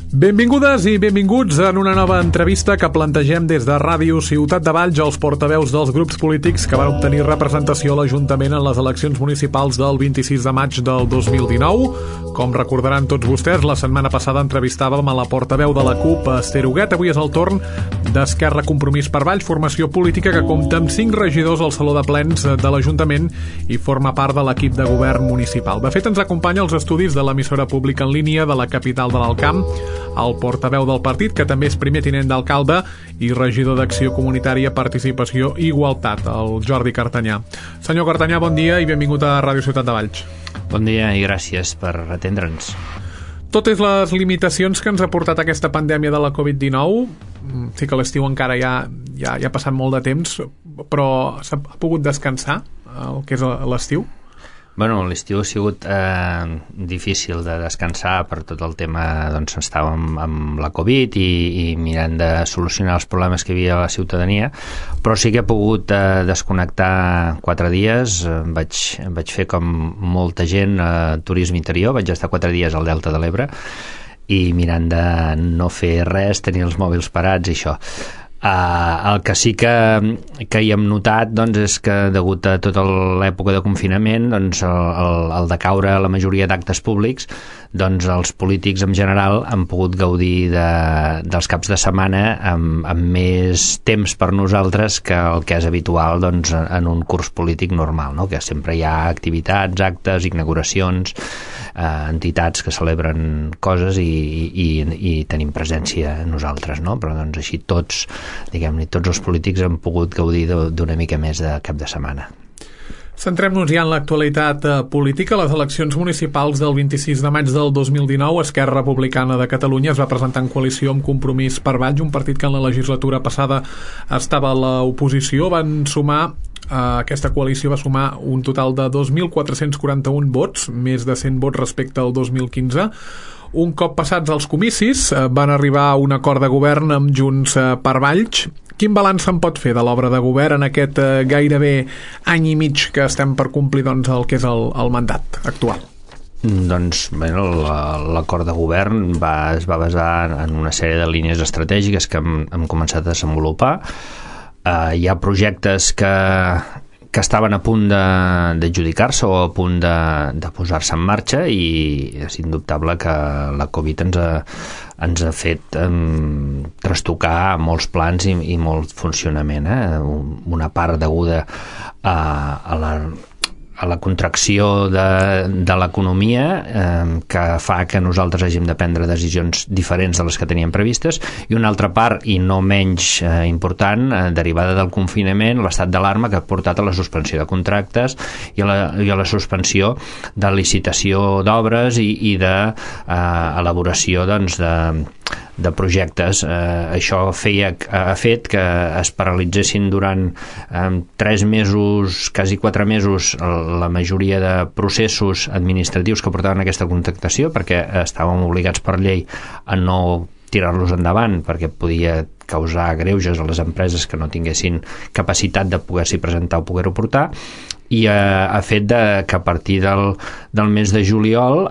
Benvingudes i benvinguts en una nova entrevista que plantegem des de Ràdio Ciutat de Valls als portaveus dels grups polítics que van obtenir representació a l'Ajuntament en les eleccions municipals del 26 de maig del 2019. Com recordaran tots vostès, la setmana passada entrevistàvem a la portaveu de la CUP, Esther Huguet. Avui és el torn d'Esquerra Compromís per Valls, formació política que compta amb 5 regidors al Saló de Plens de l'Ajuntament i forma part de l'equip de govern municipal. De fet, ens acompanya als estudis de l'emissora pública en línia de la capital de l'Alt Camp, el portaveu del partit, que també és primer tinent d'alcalde i regidor d'Acció Comunitària, Participació i Igualtat, el Jordi Cartanyà. Senyor Cartanyà, bon dia i benvingut a Ràdio Ciutat de Valls. Bon dia i gràcies per atendre'ns. Tot és les limitacions que ens ha portat aquesta pandèmia de la Covid-19. Sí que l'estiu encara ja ha passat molt de temps, però s'ha pogut descansar el que és l'estiu? Bueno, l'estiu ha sigut difícil de descansar per tot el tema, doncs estàvem amb la Covid i mirant de solucionar els problemes que hi havia a la ciutadania, però sí que he pogut desconnectar 4 dies. Vaig fer com molta gent turisme interior, vaig estar 4 dies al Delta de l'Ebre i mirant de no fer res, tenir els mòbils parats i això. El que sí que hi hem notat, doncs, és que degut a tota l'època de confinament, doncs, el decaure a la majoria d'actes públics, doncs els polítics en general han pogut gaudir dels caps de setmana amb més temps per nosaltres que el que és habitual, doncs, en un curs polític normal, no? Que sempre hi ha activitats, actes, inauguracions, entitats que celebren coses i tenim presència nosaltres, no? Però doncs així tots els polítics han pogut gaudir d'una mica més de cap de setmana. Centrem-nos ja en l'actualitat política. Les eleccions municipals del 26 de maig del 2019, Esquerra Republicana de Catalunya es va presentar en coalició amb Compromís per Valls, un partit que en la legislatura passada estava a l'oposició. Aquesta coalició va sumar un total de 2.441 vots, més de 100 vots respecte al 2015. Un cop passats els comicis, van arribar a un acord de govern amb Junts per Valls. Quin balanç se'n pot fer de l'obra de govern en aquest gairebé any i mig que estem per complir, doncs, el que és el mandat actual? Doncs l'acord de govern es va basar en una sèrie de línies estratègiques que hem començat a desenvolupar. Hi ha projectes que estaven a punt d'adjudicar-se o a punt de posar-se en marxa i és indubtable que la Covid ens ha fet trastocar molts plans i molt funcionament. Una part deguda a la contracció de l'economia que fa que nosaltres hàgim de prendre decisions diferents de les que teníem previstes, i una altra part, i no menys important, derivada del confinament, l'estat d'alarma que ha portat a la suspensió de contractes i a la suspensió de licitació d'obres i d'elaboració de projectes. Això ha fet que es paralitzessin durant 3 mesos, quasi 4 mesos, la majoria de processos administratius que portaven aquesta contractació, perquè estàvem obligats per llei a no tirar-los endavant perquè podia causar greuges a les empreses que no tinguessin capacitat de poder-s'hi presentar o poder-ho portar, i ha fet que a partir del mes de juliol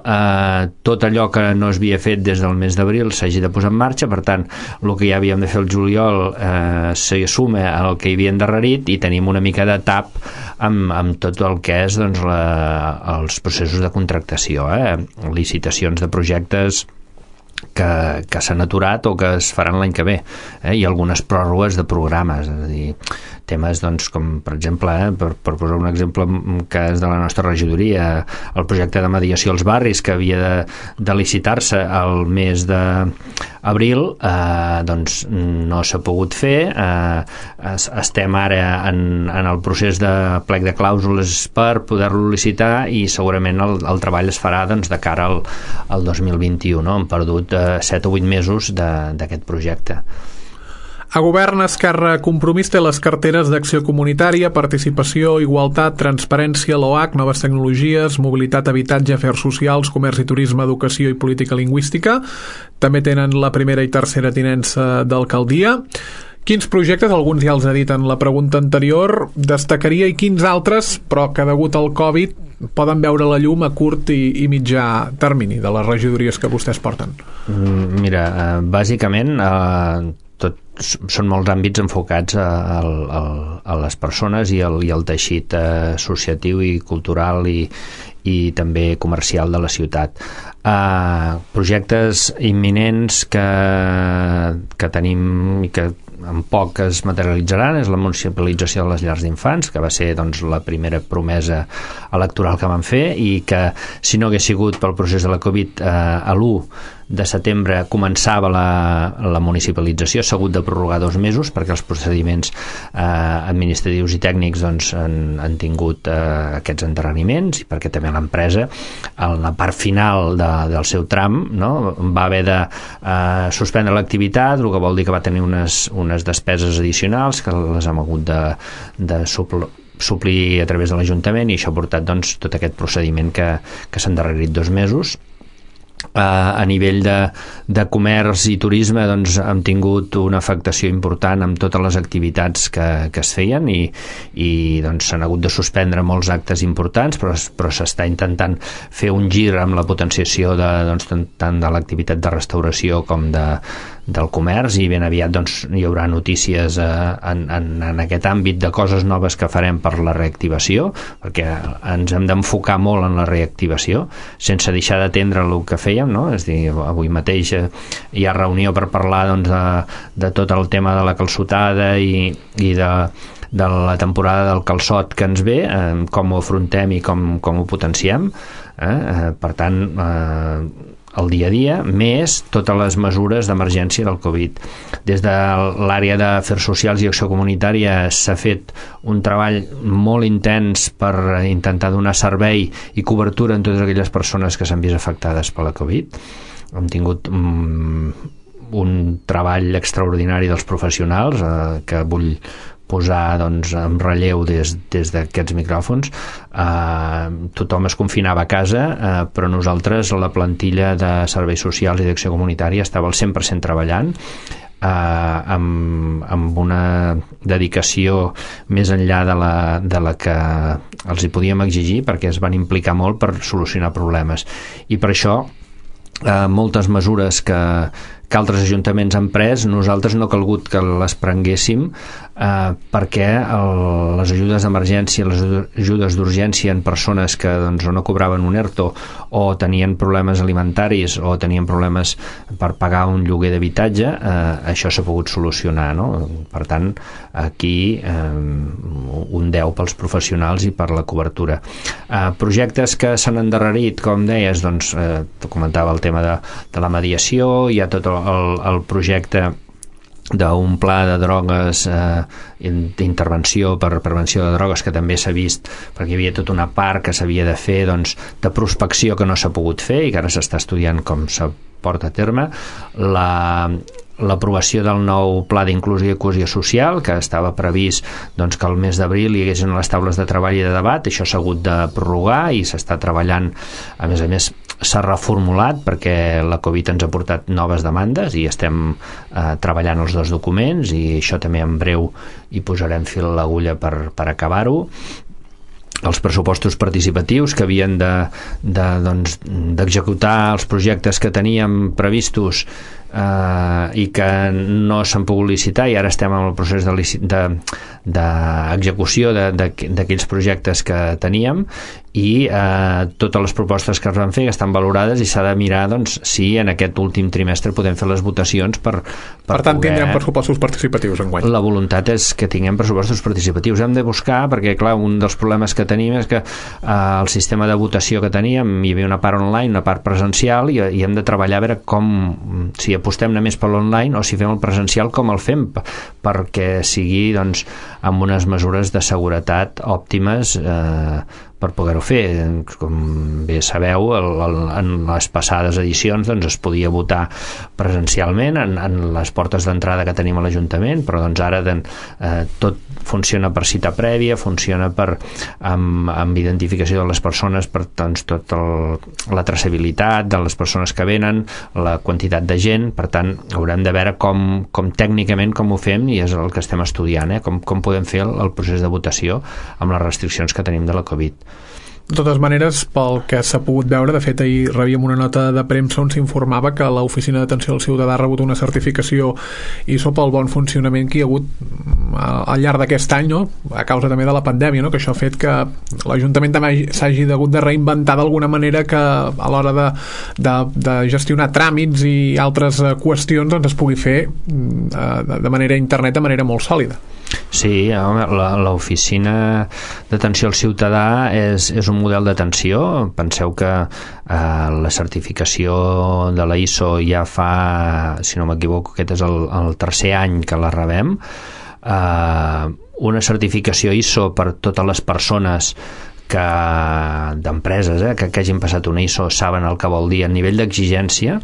tot allò que no es havia fet des del mes d'abril s'hagi de posar en marxa. Per tant, el que ja havíem de fer el juliol se suma al que hi havia endarrerit i tenim una mica de tap amb tot el que és, doncs, els processos de contractació, licitacions de projectes que s'han aturat o que es faran l'any que ve, i algunes pròrrogues de programes, és a dir, temes, doncs, com per exemple, per posar un exemple que és de la nostra regidoria, el projecte de mediació als barris que havia de licitar-se al mes d'abril, doncs no s'ha pogut fer. Estem ara en el procés de plec de clàusules per poder-lo licitar i segurament el treball es farà, doncs, de cara al 2021. Hem perdut 7 o 8 mesos d'aquest projecte. A govern, Esquerra Compromís té les carteres d'Acció Comunitària, Participació, Igualtat, Transparència, l'OAC, Noves Tecnologies, Mobilitat, Habitatge, Afers Socials, Comerç i Turisme, Educació i Política Lingüística. També tenen la primera i tercera tinença d'alcaldia. Quins projectes, alguns ja els ha dit en la pregunta anterior, destacaria i quins altres, però que degut al Covid poden veure la llum a curt i mitjà termini de les regidories que vostès porten? Mira, bàsicament són molts àmbits enfocats a les persones i al teixit associatiu i cultural i també comercial de la ciutat. Projectes imminents que tenim i que en poc es materialitzaran és la municipalització de les llars d'infants, que va ser doncs, la primera promesa electoral que van fer i que si no hagués sigut pel procés de la Covid a l'1 de setembre començava la municipalització, s'ha hagut de prorrogar 2 mesos perquè els procediments administratius i tècnics doncs, han tingut aquests endarreriments i perquè també l'empresa en la part final del seu tram, no, va haver de suspendre l'activitat, el que vol dir que va tenir unes despeses addicionals que les hem hagut de suplir a través de l'Ajuntament, i això ha portat doncs, tot aquest procediment que s'ha endarrerit 2 mesos. A nivell de comerç i turisme doncs, hem tingut una afectació important amb totes les activitats que es feien i doncs, s'han hagut de suspendre molts actes importants, però s'està intentant fer un gir amb la potenciació doncs, tant de l'activitat de restauració com del comerç, i ben aviat doncs, hi haurà notícies en aquest àmbit de coses noves que farem per la reactivació, perquè ens hem d'enfocar molt en la reactivació sense deixar d'atendre el que fèiem, no? És a dir, avui mateix hi ha reunió per parlar doncs, de tot el tema de la calçotada i de la temporada del calçot que ens ve, com ho afrontem i com ho potenciem. Per tant, el dia a dia, més totes les mesures d'emergència del Covid. Des de l'àrea d'Afers Socials i Acció Comunitària s'ha fet un treball molt intens per intentar donar servei i cobertura en totes aquelles persones que s'han vist afectades per la Covid. Hem tingut un treball extraordinari dels professionals que vull posar doncs, en relleu des d'aquests micròfons. Tothom es confinava a casa, però nosaltres, la plantilla de serveis socials i d'acció comunitària, estava al 100% treballant, amb una dedicació més enllà de la que els hi podíem exigir, perquè es van implicar molt per solucionar problemes. I per això moltes mesures que altres ajuntaments han pres, nosaltres no ha calgut que les prenguéssim perquè les ajudes d'emergència, les ajudes d'urgència en persones que doncs, o no cobraven un ERTO o tenien problemes alimentaris o tenien problemes per pagar un lloguer d'habitatge, això s'ha pogut solucionar, no? Per tant, aquí un 10 pels professionals i per la cobertura. Projectes que s'han endarrerit, com deies, doncs, comentava el tema de la mediació, hi ha tot el projecte d'un pla de drogues, d'intervenció per prevenció de drogues, que també s'ha vist, perquè hi havia tota una part que s'havia de fer doncs, de prospecció que no s'ha pogut fer i que ara s'està estudiant com se porta a terme. L'aprovació del nou pla d'inclusió i cohesió social, que estava previst doncs, que al mes d'abril hi haguessin les taules de treball i de debat, això s'ha hagut de prorrogar i s'està treballant. A més s'ha reformulat perquè la Covid ens ha portat noves demandes i estem treballant els 2 documents, i això també en breu hi posarem fil a l'agulla per acabar-ho. Els pressupostos participatius que havien d'executar els projectes que teníem previstos i que no s'han pogut licitar, i ara estem en el procés d'execució d'aquells projectes que teníem, i totes les propostes que es van fer estan valorades i s'ha de mirar doncs, si en aquest últim trimestre podem fer les votacions per tant, tindrem pressupostos participatius enguany. La voluntat és que tinguem pressupostos participatius. Hem de buscar, perquè clar, un dels problemes que tenim és que el sistema de votació que teníem, hi havia una part online, una part presencial, i hem de treballar a veure com, si apostem només per l'online o si fem el presencial, com el fem, perquè sigui doncs, amb unes mesures de seguretat òptimes per poder-ho fer. Com bé sabeu, en les passades edicions doncs, es podia votar presencialment en les portes d'entrada que tenim a l'Ajuntament, però doncs ara tot funciona per cita prèvia, funciona amb identificació de les persones, per doncs, tota la traçabilitat de les persones que venen, la quantitat de gent. Per tant, haurem de veure com tècnicament com ho fem, i és el que estem estudiant, com podem fer el procés de votació amb les restriccions que tenim de la Covid. De totes maneres, pel que s'ha pogut veure, de fet ahir rebíem una nota de premsa on s'informava que l'Oficina d'Atenció al Ciutadà ha rebut una certificació ISO pel bon funcionament que hi ha hagut al llarg d'aquest any, no? A causa també de la pandèmia, no? Que això ha fet que l'Ajuntament també s'hagi hagut de reinventar d'alguna manera, que a l'hora de gestionar tràmits i altres qüestions doncs es pugui fer de manera internet, de manera molt sòlida. Sí, l'Oficina d'Atenció al Ciutadà és un model d'atenció. Penseu que la certificació de la ISO ja fa, si no m'equivoco, aquest és el tercer any que la rebem. Una certificació ISO per totes les persones d'empreses que hagin passat una ISO saben el que vol dir a nivell d'exigència,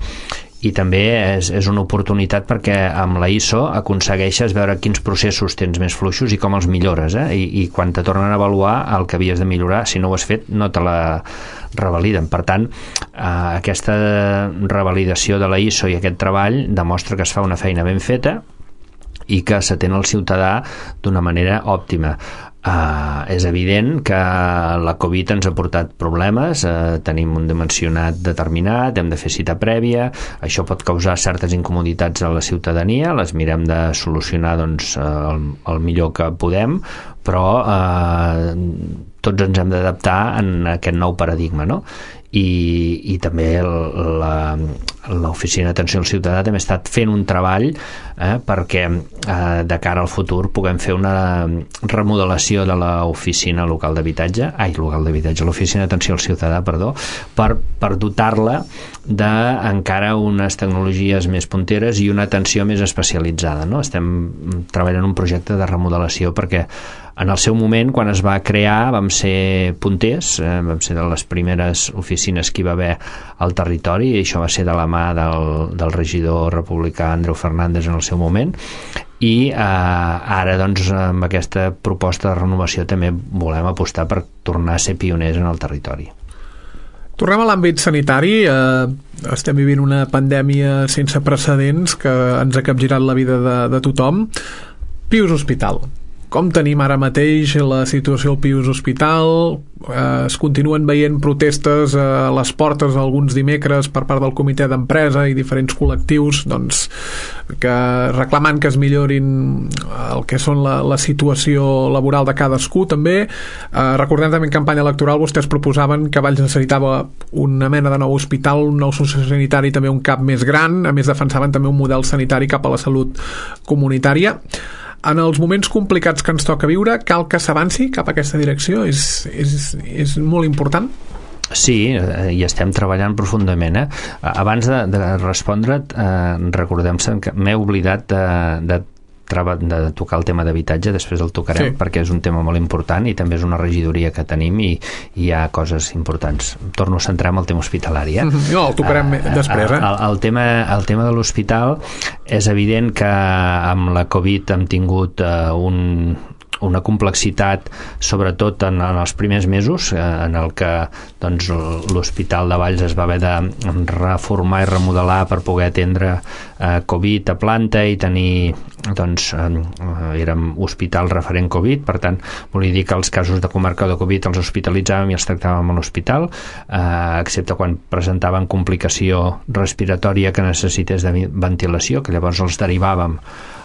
i també és una oportunitat perquè amb la ISO aconsegueixes veure quins processos tens més fluixos i com els millores, i quan te tornen a avaluar el que havies de millorar, si no ho has fet, no te la revaliden. Per tant, aquesta revalidació de la ISO i aquest treball demostra que es fa una feina ben feta i que s'atén al ciutadà d'una manera òptima. És evident que la Covid ens ha portat problemes, tenim un dimensionat determinat, hem de fer cita prèvia, això pot causar certes incomoditats a la ciutadania, les mirem de solucionar doncs, el millor que podem, però tots ens hem d'adaptar en aquest nou paradigma, no? I també l'Oficina d'Atenció al Ciutadà també ha estat fent un treball perquè de cara al futur puguem fer una remodelació de l'oficina local d'habitatge, l'Oficina d'Atenció al Ciutadà, per dotar-la d'encara unes tecnologies més punteres i una atenció més especialitzada, no? Estem treballant un projecte de remodelació perquè en el seu moment, quan es va crear, vam ser punters, vam ser de les primeres oficines que hi va haver al territori, i això va ser de la mà del regidor republicà Andreu Fernández en el seu moment, i ara doncs amb aquesta proposta de renovació també volem apostar per tornar a ser pioners en el territori. Tornem a l'àmbit sanitari. Estem vivint una pandèmia sense precedents que ens ha capgirat la vida de tothom. Pius Hospital. Com tenim ara mateix la situació al Pius Hospital? Es continuen veient protestes a les portes alguns dimecres per part del comitè d'empresa i diferents col·lectius doncs, que reclamant que es millorin el que són la situació laboral de cadascú també. Recordem també en campanya electoral vostès proposaven que Valls necessitava una mena de nou hospital, un nou sociosanitari, també un CAP més gran. A més defensaven també un model sanitari cap a la salut comunitària. En els moments complicats que ens toca viure, cal que s'avanci cap a aquesta direcció? És molt important? Sí, hi estem treballant profundament. Abans de respondre't, recordem-se que m'he oblidat de tocar el tema d'habitatge, després el tocarem, sí, perquè és un tema molt important i també és una regidoria que tenim i hi ha coses importants. Torno a centrar en el tema hospitalari. No, el tocarem després. El tema de l'hospital, és evident que amb la Covid hem tingut una complexitat, sobretot en els primers mesos, en el que doncs, l'Hospital de Valls es va haver de reformar i remodelar per poder atendre Covid a planta i tenir, doncs, érem hospital referent Covid, per tant, volia dir que els casos de comarca de Covid els hospitalitzàvem i els tractàvem a l'hospital, excepte quan presentaven complicació respiratòria que necessités de ventilació, que llavors els derivàvem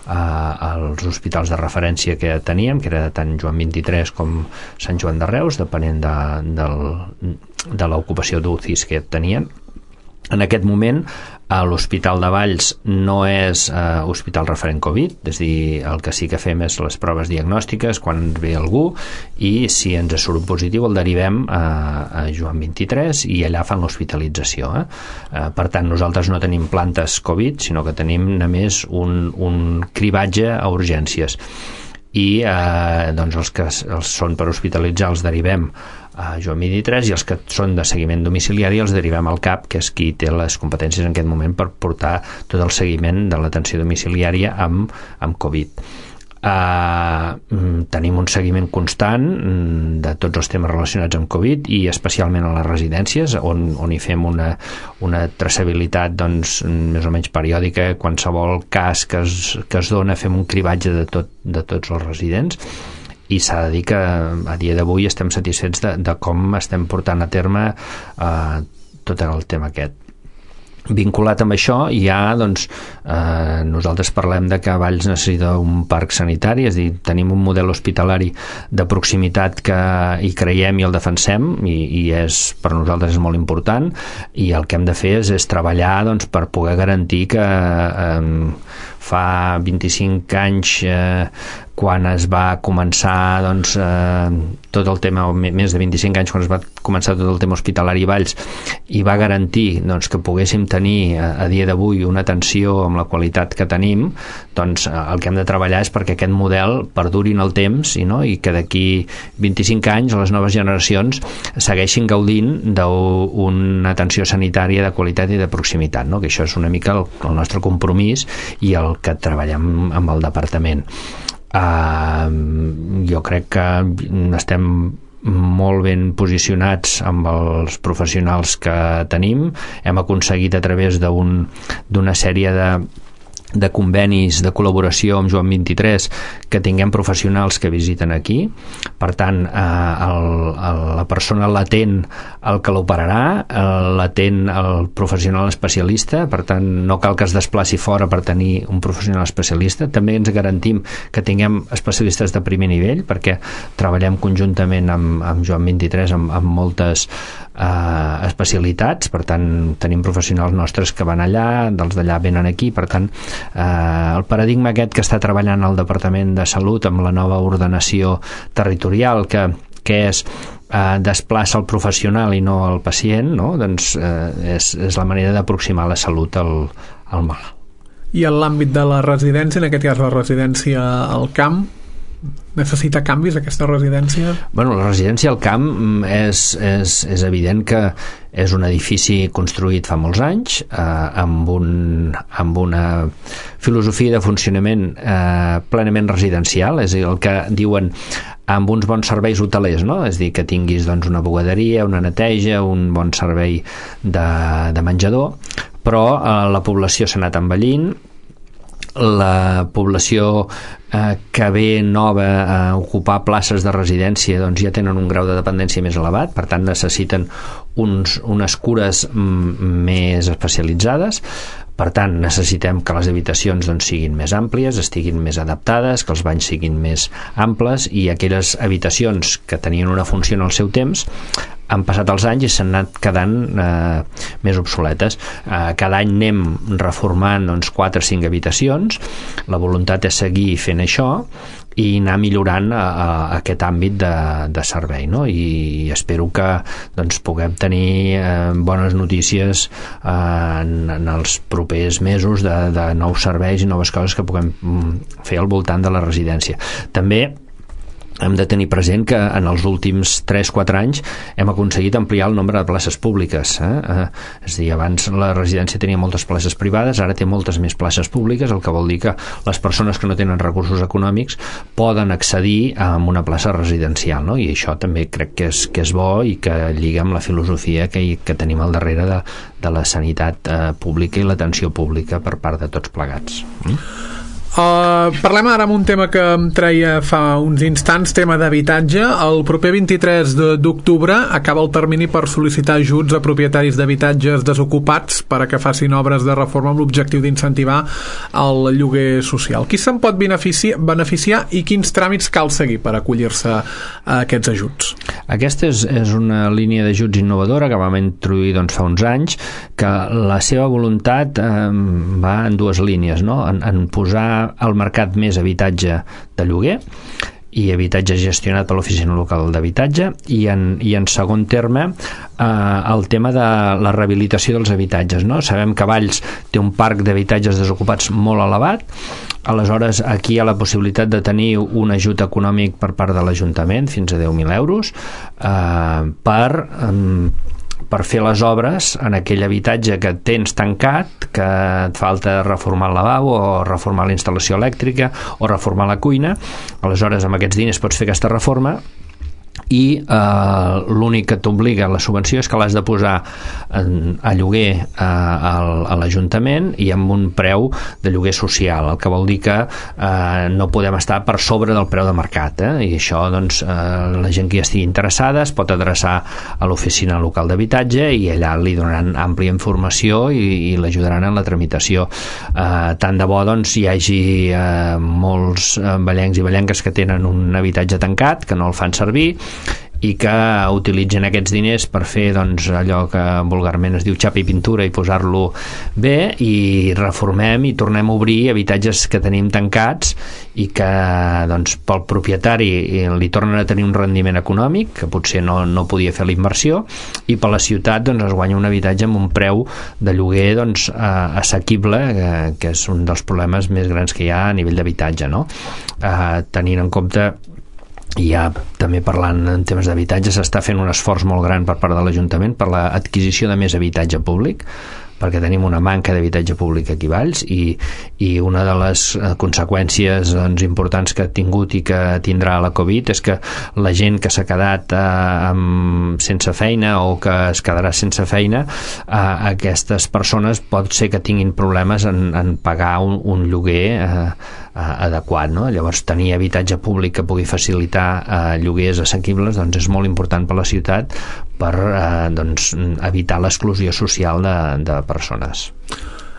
als hospitals de referència que teníem, que era tant Joan 23 com Sant Joan de Reus, depenent de l'ocupació d'UCIs que tenien. En aquest moment, l'Hospital de Valls no és hospital referent Covid, és a dir, el que sí que fem és les proves diagnòstiques quan ens ve algú i si ens surt positiu el derivem a Joan 23 i allà fan l'hospitalització. Per tant, nosaltres no tenim plantes Covid, sinó que tenim només un cribatge a urgències. I doncs els que són per hospitalitzar els derivem Joan 23, i els que són de seguiment domiciliari els derivem al CAP, que és qui té les competències en aquest moment per portar tot el seguiment de l'atenció domiciliària amb Covid. Tenim un seguiment constant de tots els temes relacionats amb Covid i especialment a les residències on hi fem una traçabilitat més o menys periòdica. Qualsevol cas que es dona fem un cribatge de tots els residents, i s'ha de dir que a dia d'avui estem satisfets de com estem portant a terme tot el tema aquest. Vinculat amb això hi ha, nosaltres parlem de que Valls necessita un parc sanitari, és a dir, tenim un model hospitalari de proximitat que hi creiem i el defensem, i per nosaltres és molt important, i el que hem de fer és treballar per poder garantir que fa 25 anys quan es va començar tot el tema, més de 25 anys quan es va començar tot el tema hospitalari a Valls, i va garantir que poguéssim tenir a dia d'avui una atenció amb la qualitat que tenim, el que hem de treballar és perquè aquest model perduri en el temps i que d'aquí 25 anys les noves generacions segueixin gaudint d'una atenció sanitària de qualitat i de proximitat, que això és una mica el nostre compromís i el que treballem amb el departament. Jo crec que estem molt ben posicionats amb els professionals que tenim. Hem aconseguit a través d'una sèrie de convenis de col·laboració amb Joan 23 que tinguem professionals que visiten aquí. Per tant, la persona l'atén el que l'operarà, l'atén el professional especialista, per tant no cal que es desplaci fora per tenir un professional especialista. També ens garantim que tinguem especialistes de primer nivell, perquè treballem conjuntament amb Joan 23 amb moltes especialitats, per tant tenim professionals nostres que van allà, dels d'allà venen aquí, per tant el paradigma aquest que està treballant el Departament de Salut amb la nova ordenació territorial que és desplaça el professional i no el pacient, és la manera d'aproximar la salut al malalt. I en l'àmbit de la residència, en aquest cas la residència al camp, necessita canvis aquesta residència? La residència al camp és evident que és un edifici construït fa molts anys amb una filosofia de funcionament plenament residencial, és a dir, el que diuen amb uns bons serveis hotelers, és a dir, que tinguis una bugaderia, una neteja, un bon servei de menjador, però la població s'ha anat envellint, la població que ve nova a ocupar places de residència ja tenen un grau de dependència més elevat, per tant necessiten unes cures més especialitzades. Per tant, necessitem que les habitacions siguin més àmplies, estiguin més adaptades, que els banys siguin més amples, i aquelles habitacions que tenien una funció en el seu temps han passat els anys i s'han anat quedant més obsoletes. Cada any anem reformant 4 o 5 habitacions. La voluntat és seguir fent això i anar millorant aquest àmbit de servei, i espero que puguem tenir bones notícies en els propers mesos de nous serveis i noves coses que puguem fer al voltant de la residència. També hem de tenir present que en els últims 3-4 anys hem aconseguit ampliar el nombre de places públiques. És a dir, abans la residència tenia moltes places privades, ara té moltes més places públiques, el que vol dir que les persones que no tenen recursos econòmics poden accedir a una plaça residencial, i això també crec que és bo i que lliga amb la filosofia que tenim al darrere de la sanitat pública i l'atenció pública per part de tots plegats. Parlem ara amb un tema que em treia fa uns instants, tema d'habitatge. El proper 23 d'octubre acaba el termini per sol·licitar ajuts a propietaris d'habitatges desocupats per a que facin obres de reforma amb l'objectiu d'incentivar el lloguer social. Qui se'n pot beneficiar i quins tràmits cal seguir per acollir-se a aquests ajuts? Aquesta és una línia d'ajuts innovadora que vam introduir fa uns anys, que la seva voluntat va en dues línies, en posar al mercat més habitatge de lloguer i habitatge gestionat per l'Oficina Local d'Habitatge, i en segon terme el tema de la rehabilitació dels habitatges, no? Sabem que Valls té un parc d'habitatges desocupats molt elevat, aleshores aquí hi ha la possibilitat de tenir un ajut econòmic per part de l'Ajuntament fins a 10.000 euros per fer les obres en aquell habitatge que tens tancat, que et falta reformar el lavabo o reformar la instal·lació elèctrica o reformar la cuina. Aleshores amb aquests diners pots fer aquesta reforma, i l'únic que t'obliga la subvenció és que l'has de posar a lloguer a l'Ajuntament i amb un preu de lloguer social, el que vol dir que no podem estar per sobre del preu de mercat, i això doncs la gent que hi estigui interessada es pot adreçar a l'Oficina Local d'Habitatge i allà li donaran àmplia informació i l'ajudaran en la tramitació. Tant de bo doncs hi hagi molts vallencs i vallenques que tenen un habitatge tancat, que no el fan servir i que utilitzen aquests diners per fer doncs, allò que vulgarment es diu xapa i pintura i posar-lo bé, i reformem i tornem a obrir habitatges que tenim tancats i que doncs, pel propietari li tornen a tenir un rendiment econòmic que potser no podia fer la inversió, i per la ciutat doncs, es guanya un habitatge amb un preu de lloguer doncs, assequible, que és un dels problemes més grans que hi ha a nivell d'habitatge, no? Tenint en compte, i ja també parlant en temes d'habitatge, s'està fent un esforç molt gran per part de l'Ajuntament per l'adquisició de més habitatge públic, perquè tenim una manca d'habitatge públic aquí a Valls, i una de les conseqüències doncs, importants que ha tingut i que tindrà la Covid és que la gent que s'ha quedat sense feina o que es quedarà sense feina, aquestes persones pot ser que tinguin problemes en pagar un lloguer adequat, no? Llavors tenir habitatge públic que pugui facilitar lloguers assequibles doncs és molt important per la ciutat per doncs, evitar l'exclusió social de persones.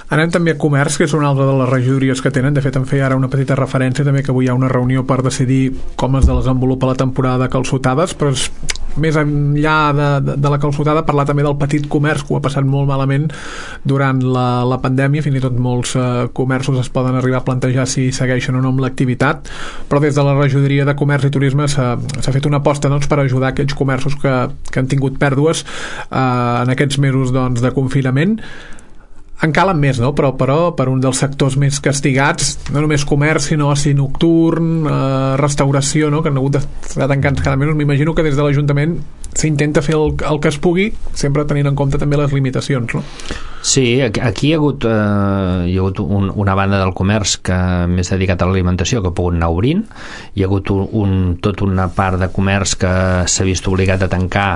Anem també a comerç, que és una altra de les regidories que tenen. De fet, em feia ara una petita referència també que avui hi ha una reunió per decidir com es desenvolupa la temporada de calçotades, però és més enllà de la calçotada parlar també del petit comerç, que ho ha passat molt malament durant la pandèmia. Fins i tot molts comerços es poden arribar a plantejar si segueixen o no amb l'activitat, però des de la regidoria de comerç i turisme s'ha fet una aposta doncs, per ajudar aquells comerços que han tingut pèrdues en aquests mesos doncs, de confinament. En calen més, no? Però per un dels sectors més castigats, no només comerç, sinó oci nocturn, restauració, no? Que han hagut d'estar tancats cada mes. M'imagino que des de l'Ajuntament s'intenta fer el que es pugui, sempre tenint en compte també les limitacions, no? Sí, aquí hi ha hagut una banda del comerç que més dedicat a l'alimentació que ha pogut anar obrint. Hi ha hagut tota una part de comerç que s'ha vist obligat a tancar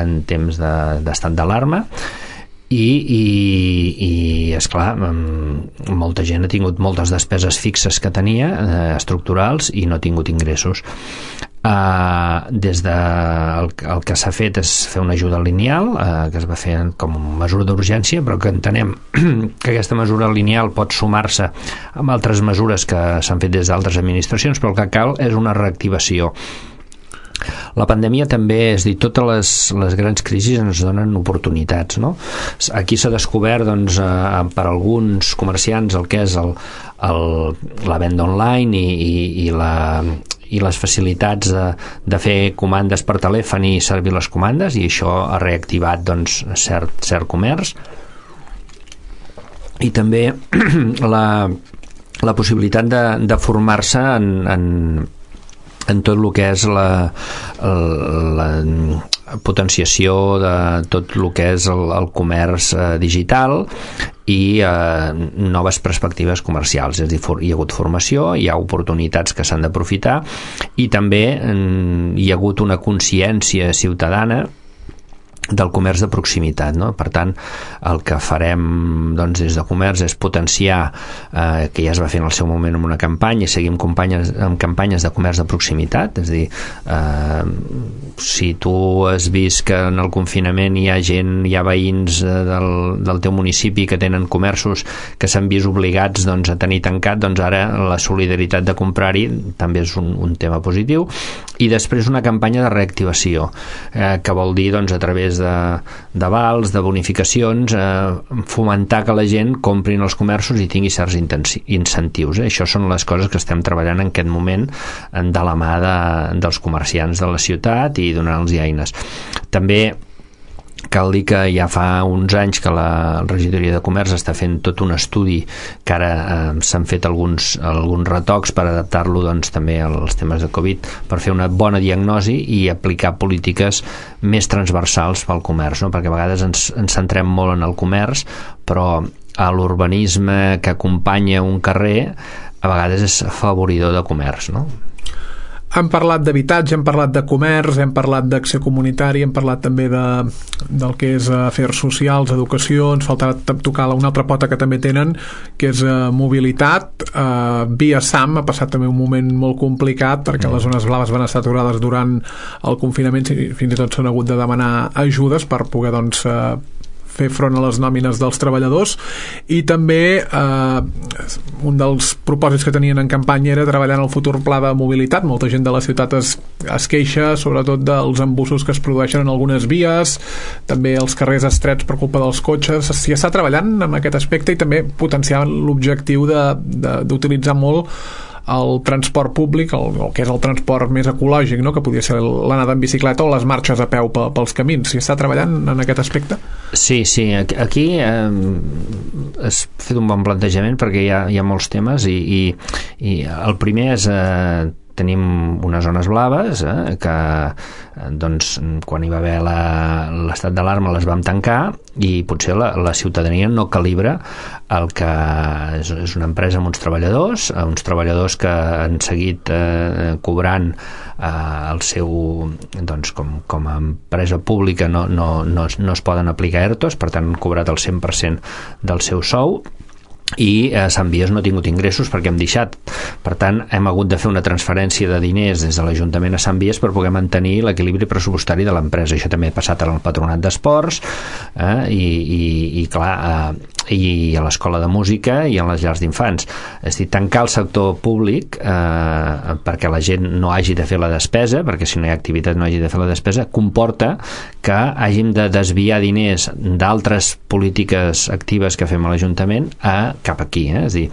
en temps d'estat d'alarma, i esclar, molta gent ha tingut moltes despeses fixes que tenia, estructurals, i no ha tingut ingressos. El que s'ha fet és fer una ajuda lineal, que es va fer com una mesura d'urgència, però que entenem que aquesta mesura lineal pot sumar-se amb altres mesures que s'han fet des d'altres administracions, però el que cal és una reactivació. La pandèmia també, és a dir, totes les grans crisis ens donen oportunitats, no? Aquí s'ha descobert doncs, per alguns comerciants el que és la venda online i les facilitats de fer comandes per telèfon i servir les comandes, i això ha reactivat doncs, cert comerç, i també la possibilitat de formar-se en tot el que és la potenciació de tot el que és el comerç digital i noves perspectives comercials. És a dir, hi ha hagut formació, hi ha oportunitats que s'han d'aprofitar, i també hi ha hagut una consciència ciutadana del comerç de proximitat, no? Per tant, el que farem doncs, des de comerç és potenciar, que ja es va fer en el seu moment amb una campanya, i seguim amb campanyes de comerç de proximitat. És a dir, si tu has vist que en el confinament hi ha veïns del teu municipi que tenen comerços que s'han vist obligats doncs, a tenir tancat, doncs ara la solidaritat de comprar-hi també és un tema positiu. I després una campanya de reactivació, que vol dir doncs, a través través de vals, de bonificacions, fomentar que la gent comprin els comerços i tingui certs incentius. Això són les coses que estem treballant en aquest moment de la mà dels comerciants de la ciutat i donant-los eines. També cal dir que ja fa uns anys que la regidoria de comerç està fent tot un estudi que ara s'han fet alguns retocs per adaptar-lo doncs, també als temes de Covid, per fer una bona diagnosi i aplicar polítiques més transversals pel comerç, no? Perquè a vegades ens centrem molt en el comerç, però l'urbanisme que acompanya un carrer a vegades és afavoridor de comerç, no? Hem parlat d'habitatge, hem parlat de comerç, hem parlat d'acció comunitària, hem parlat també del que és afers socials, educació. Ens faltarà tocar una altra pota que també tenen, que és mobilitat. Via SAM ha passat també un moment molt complicat perquè les zones blaves van estar aturades durant el confinament i fins i tot s'han hagut de demanar ajudes per poder doncs fer front a les nòmines dels treballadors. I també un dels propòsits que tenien en campanya era treballar en el futur pla de mobilitat. Molta gent de la ciutat es queixa sobretot dels embussos que es produeixen en algunes vies, també els carrers estrets per culpa dels cotxes. S'hi està treballant en aquest aspecte i també potenciar l'objectiu d'utilitzar molt el transport públic, el que és el transport més ecològic, no? Que podria ser l'anada en bicicleta o les marxes a peu pels camins. S'hi està treballant en aquest aspecte? Sí, aquí has fet un bon plantejament perquè hi ha molts temes i el primer és tenim unes zones blaves que doncs, quan hi va haver l'estat d'alarma les vam tancar i potser la ciutadania no calibra el que és una empresa amb uns treballadors que han seguit cobrant el seu doncs, com a empresa pública no es poden aplicar ERTOs, per tant han cobrat el 100% del seu sou i Sant Vies no ha tingut ingressos perquè hem deixat. Per tant, hem hagut de fer una transferència de diners des de l'Ajuntament a Sant Vies per poder mantenir l'equilibri pressupostari de l'empresa. Això també ha passat al Patronat d'Esports i a l'Escola de Música i a les llars d'infants. És a dir, tancar el sector públic perquè la gent no hagi de fer la despesa, perquè si no hi ha activitat no hagi de fer la despesa, comporta que hàgim de desviar diners d'altres polítiques actives que fem a l'Ajuntament cap aquí, és a dir,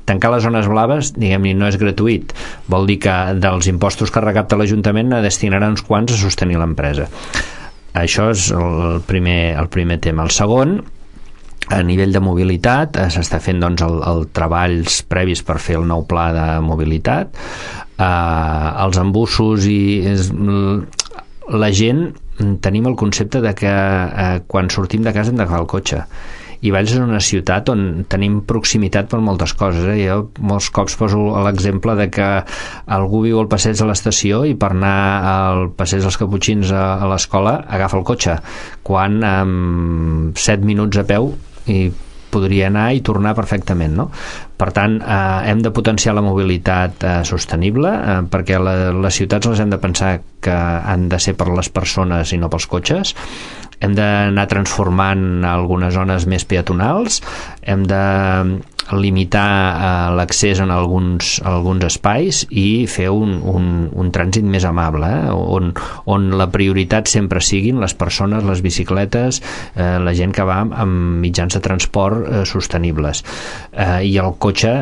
tancar les zones blaves, diguem-ne, no és gratuït, vol dir que dels impostos que recapta l'Ajuntament destinarà uns quants a sostenir l'empresa. Això és el primer tema. El segon, a nivell de mobilitat, s'està fent doncs, els treballs previs per fer el nou pla de mobilitat. Els embussos i la gent tenim el concepte de que quan sortim de casa hem d'agafar el cotxe, i Valls és una ciutat on tenim proximitat per moltes coses. Jo molts cops poso l'exemple de que algú viu al passeig de l'estació i per anar al passeig dels Caputxins a l'escola agafa el cotxe, quan en 7 minuts a peu i podria anar i tornar perfectament, no? Per tant, hem de potenciar la mobilitat sostenible perquè les ciutats les hem de pensar que han de ser per les persones i no pels cotxes. Hem d'anar transformant algunes zones més peatonals, hem de limitar l'accés en alguns espais i fer un trànsit més amable, on la prioritat sempre siguin les persones, les bicicletes, la gent que va amb mitjans de transport sostenibles. I el cotxe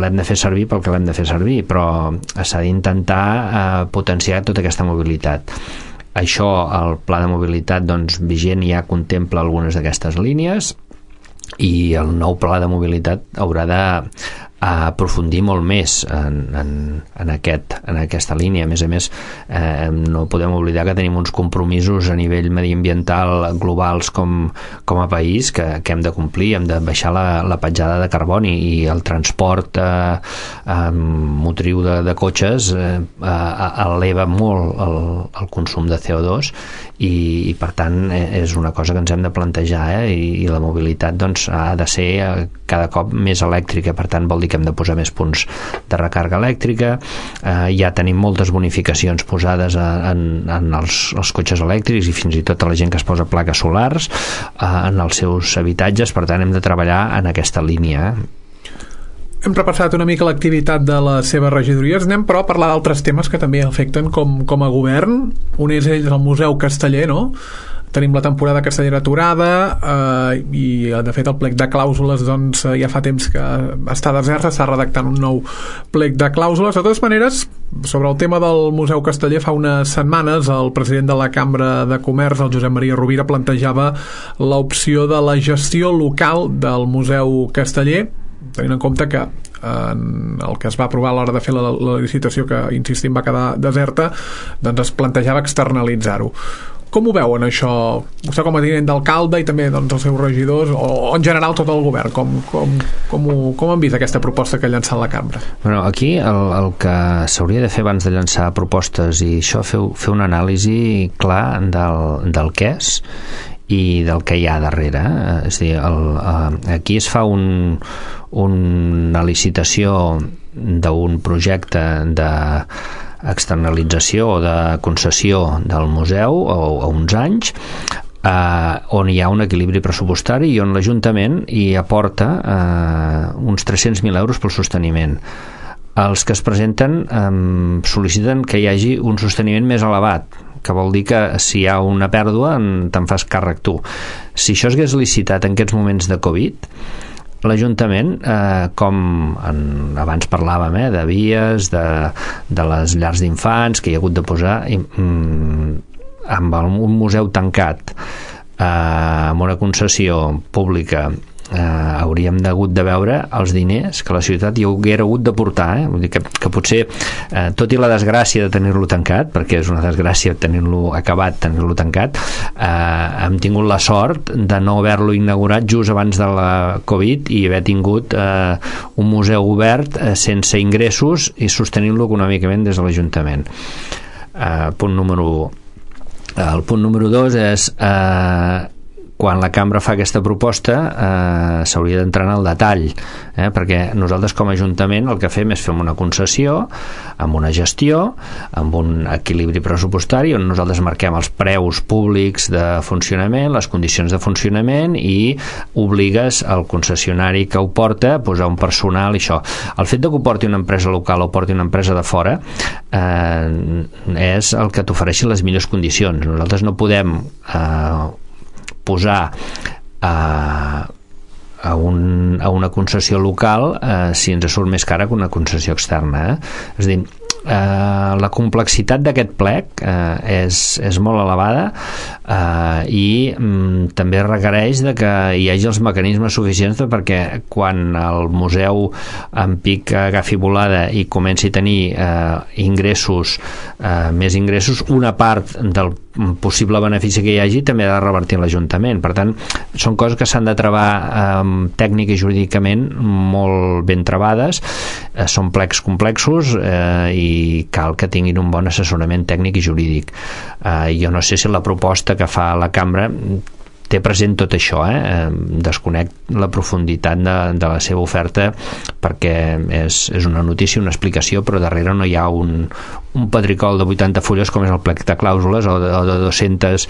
l'hem de fer servir pel que l'hem de fer servir, però s'ha d'intentar potenciar tota aquesta mobilitat. Això, el pla de mobilitat doncs, vigent ja contempla algunes d'aquestes línies i el nou pla de mobilitat haurà d'aprofundir molt més en aquesta línia. A més, no podem oblidar que tenim uns compromisos a nivell mediambiental globals com a país que hem de complir. Hem de baixar la petjada de carboni i el transport motriu de cotxes eleva molt el consum de CO2 i per tant és una cosa que ens hem de plantejar i la mobilitat doncs, ha de ser cada cop més elèctrica. Per tant vol dir que hem de posar més punts de recàrrega elèctrica. Ja tenim moltes bonificacions posades en els cotxes elèctrics i fins i tot a la gent que es posa plaques solars en els seus habitatges. Per tant hem de treballar en aquesta línia. Hem repassat una mica l'activitat de les seves regidories. Anem, però, a parlar d'altres temes que també afecten com a govern. Un és el Museu Casteller, no? Tenim la temporada castellera aturada i, de fet, el plec de clàusules doncs, ja fa temps que està desert, s'està redactant un nou plec de clàusules. De totes maneres, sobre el tema del Museu Casteller, fa unes setmanes el president de la Cambra de Comerç, el Josep Maria Rovira, plantejava l'opció de la gestió local del Museu Casteller, tenint en compte que el que es va aprovar a l'hora de fer la licitació, que, insistim, va quedar deserta, doncs es plantejava externalitzar-ho. Com ho veuen, això? Vostè com a tinent d'alcalde i també doncs, els seus regidors, o en general tot el govern, com han vist aquesta proposta que ha llançat la cambra? Bueno, aquí el que s'hauria de fer abans de llançar propostes i això, fer una anàlisi clar del què és i del que hi ha darrere. És a dir, aquí es fa una licitació d'un projecte de externalització o de concessió del museu a uns anys, on hi ha un equilibri pressupostari i on l'Ajuntament hi aporta uns 300.000 euros pel sosteniment. Els que es presenten sol·liciten que hi hagi un sosteniment més elevat, que vol dir que si hi ha una pèrdua te'n fas càrrec tu. Si això es hagués licitat en aquests moments de Covid, l'Ajuntament, com abans parlàvem, de vies, de les llars d'infants que hi ha hagut de posar, amb un museu tancat, amb una concessió pública, hauríem hagut de veure els diners que la ciutat hi haguera hagut de portar. Vull dir que potser, tot i la desgràcia de tenir-lo tancat, perquè és una desgràcia tenir-lo acabat, tenir-lo tancat, hem tingut la sort de no haver-lo inaugurat just abans de la Covid i haver tingut un museu obert sense ingressos i sostenint-lo econòmicament des de l'Ajuntament. Punt número 1. El punt número 2 és quan la cambra fa aquesta proposta s'hauria d'entrar en el detall, perquè nosaltres com a Ajuntament el que fem és fer una concessió amb una gestió, amb un equilibri pressupostari on nosaltres marquem els preus públics de funcionament, les condicions de funcionament i obligues al concessionari que ho porta a posar un personal i això. El fet de que ho porti una empresa local o porti una empresa de fora és el que t'ofereixi les millors condicions. Nosaltres no podem posar a una concessió local si ens surt més cara que una concessió externa. És a dir, la complexitat d'aquest plec és molt elevada i també requereix de que hi hagi els mecanismes suficients perquè quan el museu en pic agafi volada i comenci a tenir ingressos, més ingressos, una part del possible benefici que hi hagi també ha de revertir en l'Ajuntament. Per tant, són coses que s'han de travar tècnic i jurídicament molt ben travades, són plecs complexos i cal que tinguin un bon assessorament tècnic i jurídic. Jo no sé si la proposta que fa la cambra té present tot això, desconec la profunditat de la seva oferta perquè és una notícia, una explicació, però darrere no hi ha un pedricol de 80 fulles com és el plec de clàusules o de 200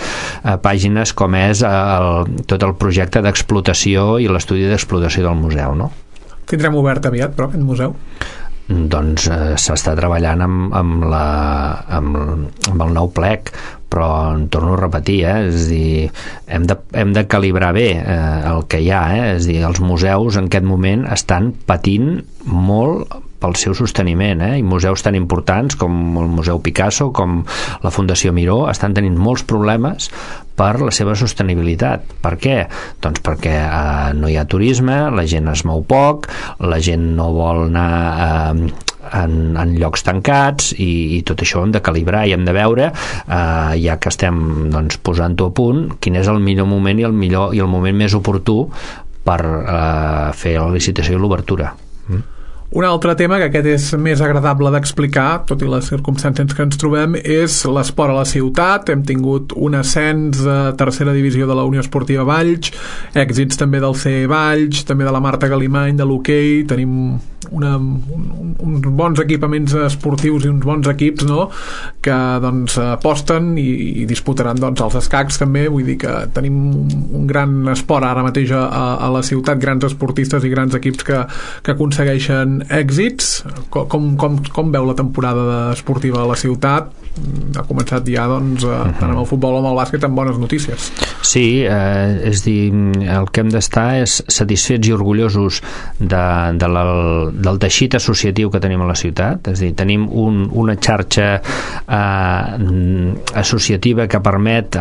pàgines com és tot el projecte d'explotació i l'estudi d'explotació del museu, no? Tindrem obert aviat, però, aquest museu? Doncs s'està treballant amb el nou plec, però en torno a repetir, és a dir, hem de calibrar bé el que hi ha, és a dir, els museus en aquest moment estan patint molt pel seu sosteniment, i museus tan importants com el Museu Picasso, com la Fundació Miró, estan tenint molts problemes per la seva sostenibilitat. Per què? Doncs perquè no hi ha turisme, la gent es mou poc, la gent no vol anar en llocs tancats i tot això ho hem de calibrar i hem de veure, ja que estem posant-ho a punt, quin és el millor moment i el moment més oportú per fer la licitació i l'obertura. Un altre tema, que aquest és més agradable d'explicar, tot i les circumstàncies que ens trobem, és l'esport a la ciutat. Hem tingut un ascens a tercera divisió de la Unió Esportiva Valls, èxits també del CE Valls, també de la Marta Galimany, de l'hoquei, tenim uns bons equipaments esportius i uns bons equips, no?, que doncs aposten i disputaran doncs els escacs també. Vull dir que tenim un gran esport ara mateix a la ciutat, grans esportistes i grans equips que aconsegueixen èxits. Com veu la temporada esportiva a la ciutat? Ha començat ja doncs tant amb el futbol com amb el bàsquet amb bones notícies. Sí, és dir, el que hem d'estar és satisfets i orgullosos del teixit associatiu que tenim a la ciutat. És dir, tenim una xarxa associativa que permet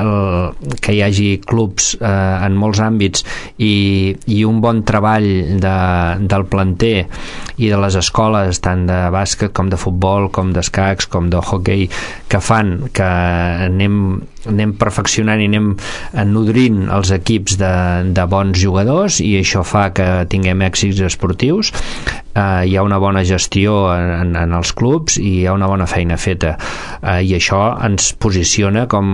que hi hagi clubs en molts àmbits i un bon treball del planter i de les escoles, tant de bàsquet com de futbol, com d'escacs, com de hoquei, que fan que anem perfeccionant i anem nodrint els equips de bons jugadors, i això fa que tinguem èxits esportius. Hi ha una bona gestió en els clubs i hi ha una bona feina feta, i això ens posiciona com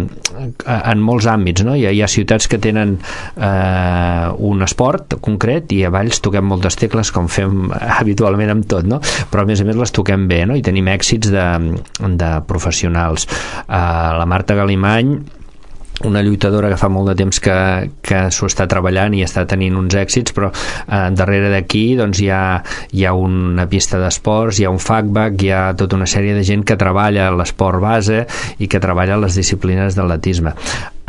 en molts àmbits, no? Hi ha ciutats que tenen un esport concret i a Valls toquem moltes tecles, com fem habitualment amb tot, no? Però a més les toquem bé, no? I tenim èxits de professionals. La Marta Galimany, una lluitadora que fa molt de temps que s'ho està treballant i està tenint uns èxits, però darrere d'aquí doncs hi ha una pista d'esports, hi ha un FACBAC, hi ha tota una sèrie de gent que treballa l'esport base i que treballa les disciplines d'atletisme.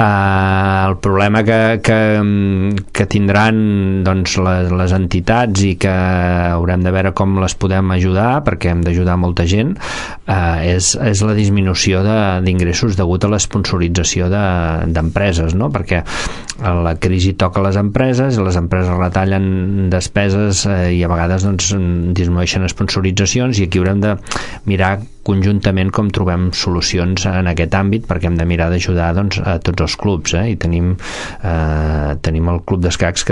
El problema que tindran doncs les entitats, i que haurem de veure com les podem ajudar, perquè hem d'ajudar molta gent, és la disminució d'ingressos degut a l'esponsorització d'empreses, no? Perquè la crisi toca les empreses i les empreses retallen despeses i a vegades doncs disminueixen sponsoritzacions, i aquí haurem de mirar conjuntament com trobem solucions en aquest àmbit, perquè hem de mirar d'ajudar doncs a tots els clubs, i tenim el club d'escacs que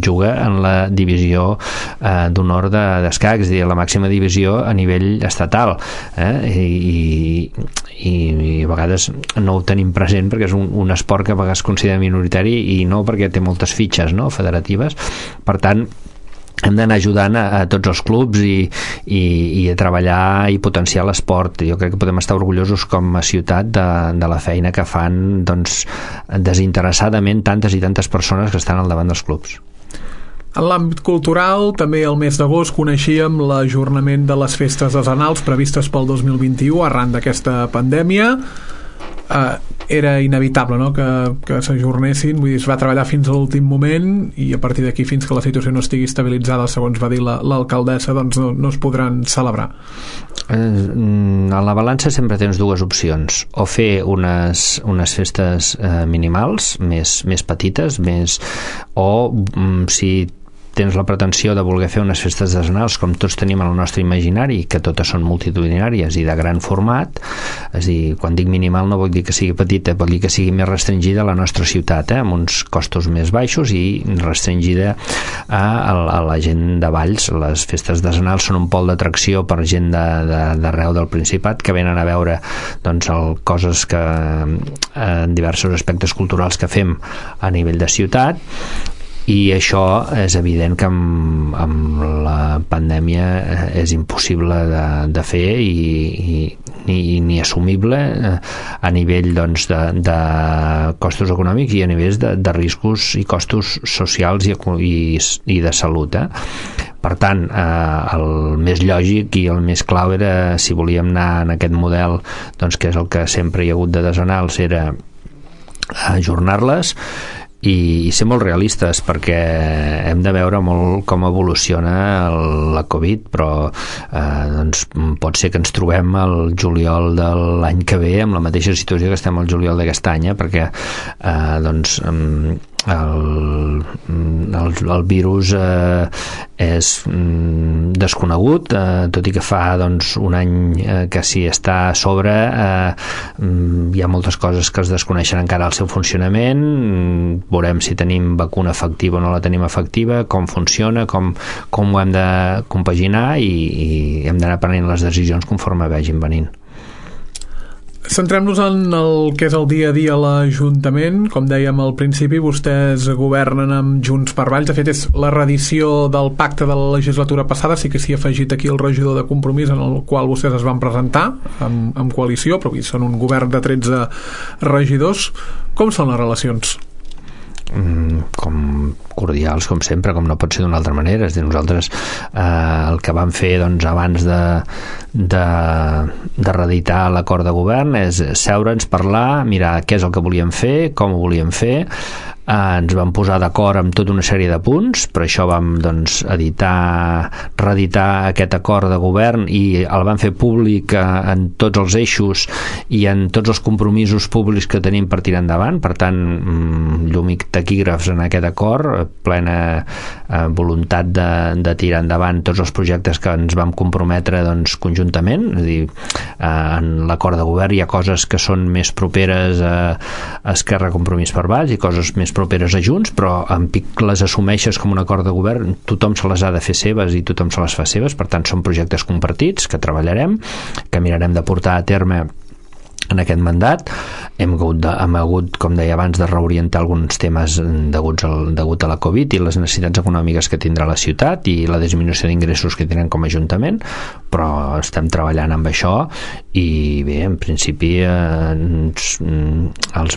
juga en la divisió d'honor d'escacs, és a dir, la màxima divisió a nivell estatal, i a vegades no ho tenim present perquè és un esport que a vegades es considera minoritari, i no perquè té moltes fitxes, no?, federatives. Per tant, hem d'anar ajudant a tots els clubs i a treballar i potenciar l'esport. Jo crec que podem estar orgullosos com a ciutat de la feina que fan doncs desinteressadament tantes i tantes persones que estan al davant dels clubs. En l'àmbit cultural, també el mes d'agost coneixíem l'ajornament de les festes decenals previstes pel 2021 arran d'aquesta pandèmia. Era inevitable, no?, que s'ajornessin. Vull dir, es va treballar fins a l'últim moment i a partir d'aquí, fins que la situació no estigui estabilitzada, segons va dir l'alcaldessa, doncs no es podran celebrar. A la balança sempre tens dues opcions: o fer unes festes minimals, més petites, o si tens la pretensió de voler fer unes festes decenals com tots tenim en el nostre imaginari, que totes són multitudinàries i de gran format, és a dir, quan dic minimal no vol dir que sigui petita, vol dir que sigui més restringida a la nostra ciutat, amb uns costos més baixos i restringida a la gent de Valls. Les festes decenals són un pol d'atracció per gent d'arreu del Principat que venen a veure doncs, coses en diversos aspectes culturals que fem a nivell de ciutat. I això és evident que amb la pandèmia és impossible de fer ni assumible a nivell doncs, de costos econòmics i a nivell de riscos i costos socials i de salut. Per tant, el més lògic i el més clau era, si volíem anar en aquest model doncs, que és el que sempre hi ha hagut de decenals, era ajornar-les i ser molt realistes, perquè hem de veure molt com evoluciona la Covid, però doncs, pot ser que ens trobem el juliol de l'any que ve amb la mateixa situació que estem al juliol d'aquest any, perquè doncs el virus és desconegut, tot i que fa doncs, un any que s'hi està a sobre, hi ha moltes coses que es desconeixen encara el seu funcionament. Veurem si tenim vacuna efectiva o no la tenim efectiva, com funciona, com ho hem de compaginar, i hem d'anar prenent les decisions conforme vagin venint. Centrem-nos en el que és el dia a dia a l'Ajuntament. Com dèiem al principi, vostès governen amb Junts per Valls. De fet, és la reedició del pacte de la legislatura passada. Sí que s'hi ha afegit aquí el regidor de Compromís, en el qual vostès es van presentar amb coalició, però avui són un govern de 13 regidors. Com són les relacions? Com cordials, com sempre, com no pot ser d'una altra manera. És a dir, nosaltres el que vam fer abans de reeditar l'acord de govern és seure'ns, parlar, mirar què és el que volíem fer, com ho volíem fer. Ens vam posar d'acord amb tota una sèrie de punts, per això vam reeditar aquest acord de govern i el vam fer públic en tots els eixos i en tots els compromisos públics que tenim per tirar endavant. Per tant, llum i taquígrafs en aquest acord, plena voluntat de tirar endavant tots els projectes que ens vam comprometre conjuntament. És a dir, en l'acord de govern hi ha coses que són més properes a Esquerra, Compromís per Valls i coses més properes a Junts, però en pic les assumeixes com un acord de govern, tothom se les ha de fer seves i tothom se les fa seves. Per tant, són projectes compartits que treballarem, que mirarem de portar a terme en aquest mandat. Hem hagut, com deia abans, de reorientar alguns temes degut a la Covid i les necessitats econòmiques que tindrà la ciutat i la disminució d'ingressos que tenen com a Ajuntament, però estem treballant amb això i bé, en principi els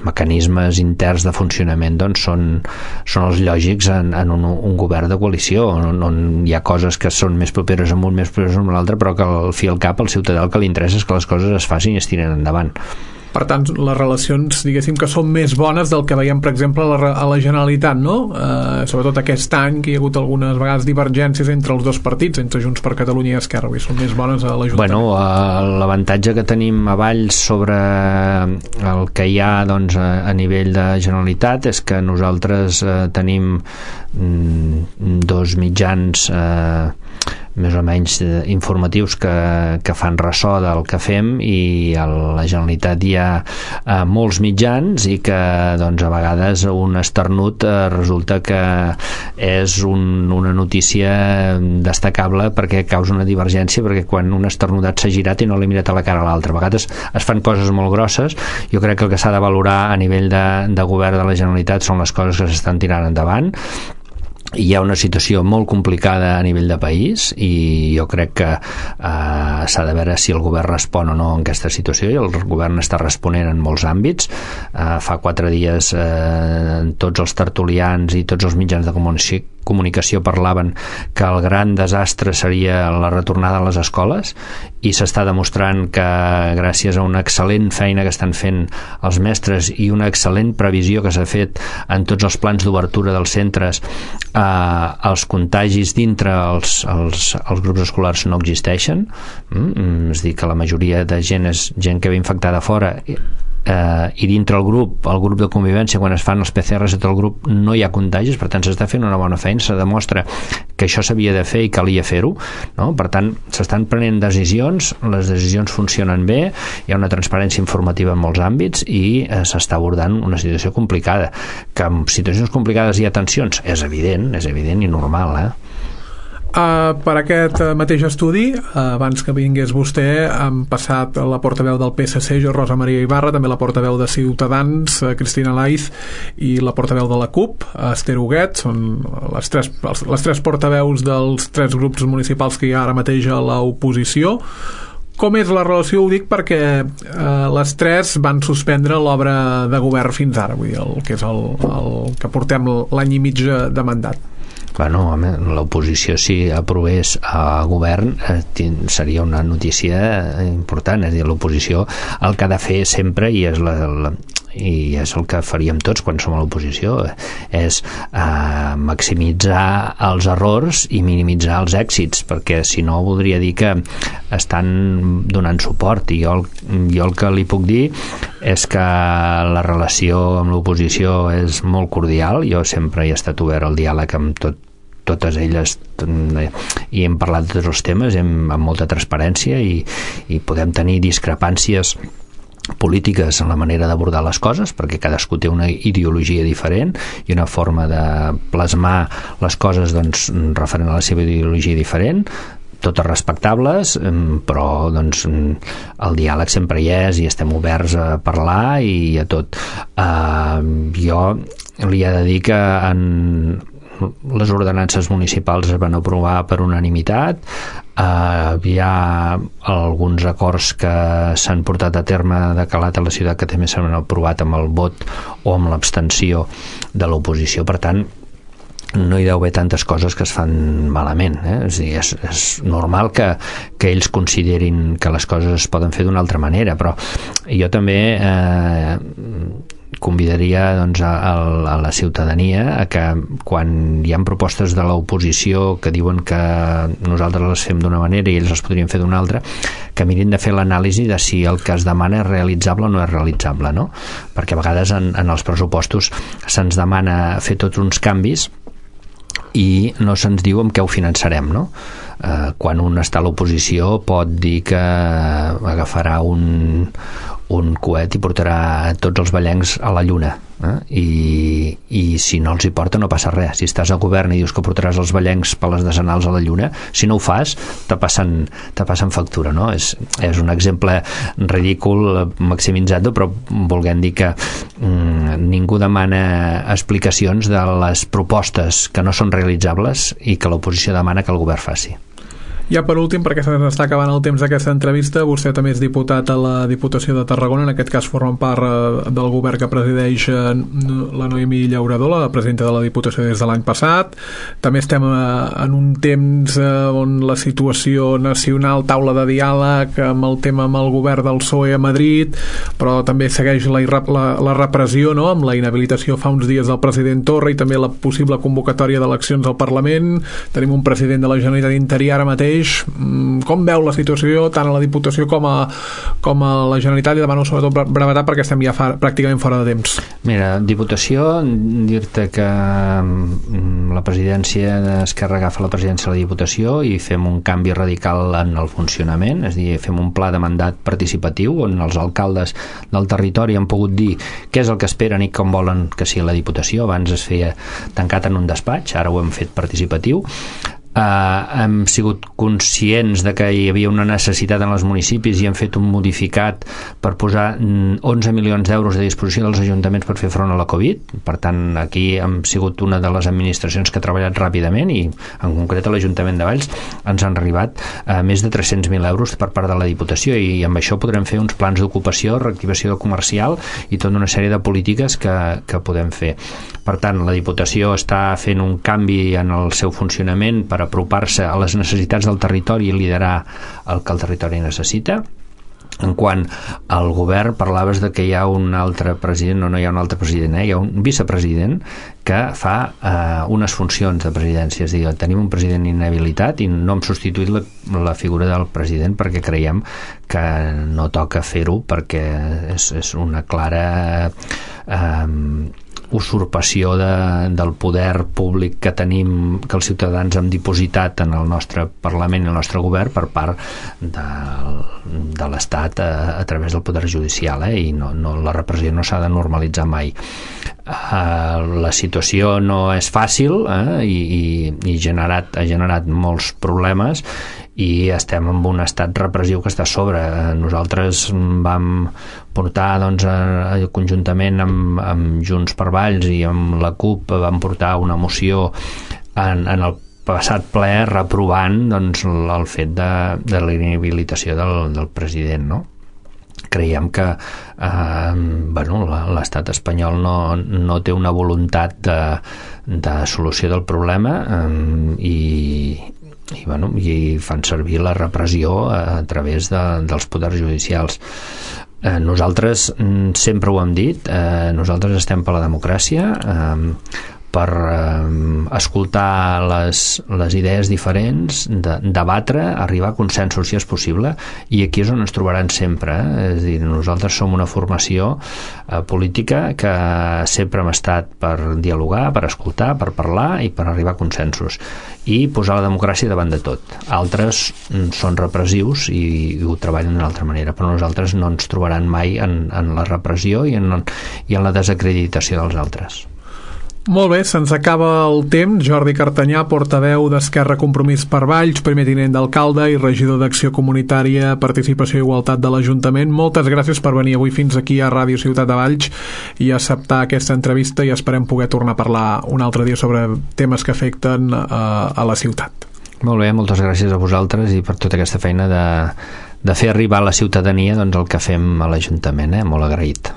mecanismes interns de funcionament són els lògics en un govern de coalició on hi ha coses que són més properes amb un, més properes amb l'altre, però que al fi al cap al ciutadà el que li interessa és que les coses es facin i es tiren endavant. Per tant, les relacions, diguéssim, que són més bones del que veiem, per exemple, a la Generalitat, no? Sobretot aquest any, que hi ha hagut algunes vegades divergències entre els dos partits, entre Junts per Catalunya i Esquerra, i són més bones a l'Ajuntament. L'avantatge que tenim a Valls sobre el que hi ha a nivell de Generalitat és que nosaltres tenim dos mitjans més o menys informatius que fan ressò del que fem, i a la Generalitat hi ha molts mitjans i que a vegades un esternut resulta que és una notícia destacable perquè causa una divergència, perquè quan un esternudat s'ha girat i no l'ha mirat a la cara a l'altre. A vegades es fan coses molt grosses. Jo crec que el que s'ha de valorar a nivell de govern de la Generalitat són les coses que s'estan tirant endavant. Hi ha una situació molt complicada a nivell de país i jo crec que s'ha de veure si el govern respon o no en aquesta situació, i el govern està responent en molts àmbits. Fa 4 dies tots els tertulians i tots els mitjans de comunicació parlaven que el gran desastre seria la retornada a les escoles, i s'està demostrant que gràcies a una excel·lent feina que estan fent els mestres i una excel·lent previsió que s'ha fet en tots els plans d'obertura dels centres, els contagis dintre els grups escolars no existeixen. És a dir, que la majoria de gent és gent que ve infectada fora, i dintre el grup de convivència, quan es fan els PCRs a tot el grup, no hi ha contagis. Per tant, s'està fent una bona feina, se demostra que això s'havia de fer i calia fer-ho, no? Per tant, s'estan prenent decisions, les decisions funcionen bé, hi ha una transparència informativa en molts àmbits i s'està abordant una situació complicada. Que en situacions complicades hi ha tensions, és evident i normal, Per aquest mateix estudi, abans que vingués vostè, han passat la portaveu del PSC, Rosa Maria Ibarra, també la portaveu de Ciutadans, Cristina Laiz, i la portaveu de la CUP, Esther Huguet. Són les tres portaveus dels 3 grups municipals que hi ha ara mateix a l'oposició. Com és la relació? Ho dic perquè les 3 van suspendre l'obra de govern fins ara, vull dir, el que és el que portem l'any i mig de mandat. Bueno, home, l'oposició, si aprovés a govern, seria una notícia important. És a dir, l'oposició el que ha de fer sempre, i és el que faríem tots quan som a l'oposició, és maximitzar els errors i minimitzar els èxits, perquè si no voldria dir que estan donant suport. I jo el que li puc dir és que la relació amb l'oposició és molt cordial. Jo sempre he estat obert al diàleg amb totes elles, i hem parlat de tots els temes amb molta transparència, i podem tenir discrepàncies polítiques en la manera d'abordar les coses, perquè cadascú té una ideologia diferent i una forma de plasmar les coses referent a la seva ideologia diferent. totes respectables, però doncs, el diàleg sempre hi és i estem oberts a parlar i a tot. Jo li he de dir que les ordenances municipals es van aprovar per unanimitat. Hi ha alguns acords que s'han portat a terme de calat a la ciutat que també s'han aprovat amb el vot o amb l'abstenció de l'oposició. Per tant, no hi deu haver tantes coses que es fan malament, És a dir, és normal que ells considerin que les coses es poden fer d'una altra manera, però jo també convidaria doncs, a la ciutadania a que quan hi ha propostes de l'oposició que diuen que nosaltres les fem d'una manera i ells les podrien fer d'una altra, que mirin de fer l'anàlisi de si el que es demana és realitzable o no és realitzable, no? Perquè a vegades en els pressupostos se'ns demana fer tots uns canvis i no se'ns diu amb què ho finançarem, no? Quan un està a l'oposició pot dir que agafarà un coet i portarà tots els vallencs a la lluna, i si no els hi porta no passa res. Si estàs al govern i dius que portaràs els vallencs per les decenals a la lluna, si no ho fas te passen factura, no? És un exemple ridícul maximitzat, però volguem dir que ningú demana explicacions de les propostes que no són realitzables i que l'oposició demana que el govern faci. Ja per últim, perquè s'està acabant el temps d'aquesta entrevista, vostè també és diputat a la Diputació de Tarragona, en aquest cas formen part del govern que presideix la Noemí Llaurador, la presidenta de la Diputació des de l'any passat. També estem en un temps on la situació nacional, taula de diàleg amb el tema amb el govern del PSOE a Madrid, però també segueix la repressió, no?, amb la inhabilitació fa uns dies del president Torra i també la possible convocatòria d'eleccions al Parlament. Tenim un president de la Generalitat interí ara mateix. Com veu la situació tant a la Diputació com a la Generalitat? I demano sobretot brevetat perquè estem ja pràcticament fora de temps. Mira, Diputació, dir-te que la presidència d'Esquerra agafa la presidència de la Diputació i fem un canvi radical en el funcionament, és a dir, fem un pla de mandat participatiu on els alcaldes del territori han pogut dir què és el que esperen i com volen que sigui la Diputació. Abans es feia tancat en un despatx, ara ho hem fet participatiu. Hem sigut conscients de que hi havia una necessitat en els municipis i hem fet un modificat per posar 11 milions d'euros a disposició dels ajuntaments per fer front a la Covid. Per tant, aquí hem sigut una de les administracions que ha treballat ràpidament i en concret a l'Ajuntament de Valls ens han arribat més de 300.000 euros per part de la Diputació i amb això podrem fer uns plans d'ocupació, reactivació comercial i tota una sèrie de polítiques que podem fer. Per tant, la Diputació està fent un canvi en el seu funcionament per apropar-se a les necessitats del territori i liderar el que el territori necessita. En quant al govern, parlaves de que hi ha un altre president, no hi ha un altre president, hi ha un vicepresident que fa unes funcions de presidència, és a dir, tenim un president inhabilitat i no hem substituït la figura del president perquè creiem que no toca fer-ho perquè és una clara usurpació del poder públic que tenim, que els ciutadans hem dipositat en el nostre Parlament i el nostre govern per part de l'Estat a través del poder judicial, i la repressió no s'ha de normalitzar mai. La situació no és fàcil i ha generat molts problemes i estem en un estat repressiu que està a sobre. Nosaltres vam portar conjuntament amb Junts per Valls i amb la CUP vam portar una moció en el passat ple reprovant el fet de la inhabilitació del president, no? Creiem que l'estat espanyol no té una voluntat de solució del problema i fan servir la repressió a través dels poders judicials. Nosaltres sempre ho hem dit, nosaltres estem per la democràcia, per escoltar les idees diferents, debatre, arribar a consensos si és possible, i aquí és on ens trobaran sempre. És a dir, nosaltres som una formació política que sempre hem estat per dialogar, per escoltar, per parlar i per arribar a consensos i posar la democràcia davant de tot. Altres són repressius i ho treballen d'una altra manera, però nosaltres no ens trobaran mai en la repressió i en la desacreditació dels altres. Molt bé, se'ns acaba el temps. Jordi Cartanyà, portaveu d'Esquerra Compromís per Valls, primer tinent d'alcalde i regidor d'Acció Comunitària, Participació i Igualtat de l'Ajuntament. Moltes gràcies per venir avui fins aquí a Ràdio Ciutat de Valls i acceptar aquesta entrevista, i esperem poder tornar a parlar un altre dia sobre temes que afecten a la ciutat. Molt bé, moltes gràcies a vosaltres i per tota aquesta feina de fer arribar a la ciutadania doncs, el que fem a l'Ajuntament, molt agraït.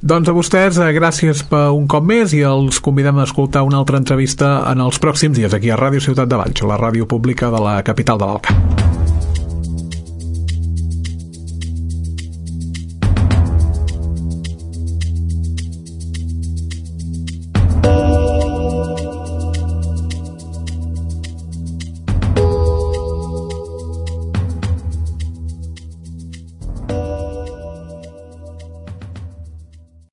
Doncs a vostès, gràcies per un cop més, i els convidem a escoltar una altra entrevista en els pròxims dies aquí a Ràdio Ciutat de Valls, la ràdio pública de la capital de l'Alt Camp.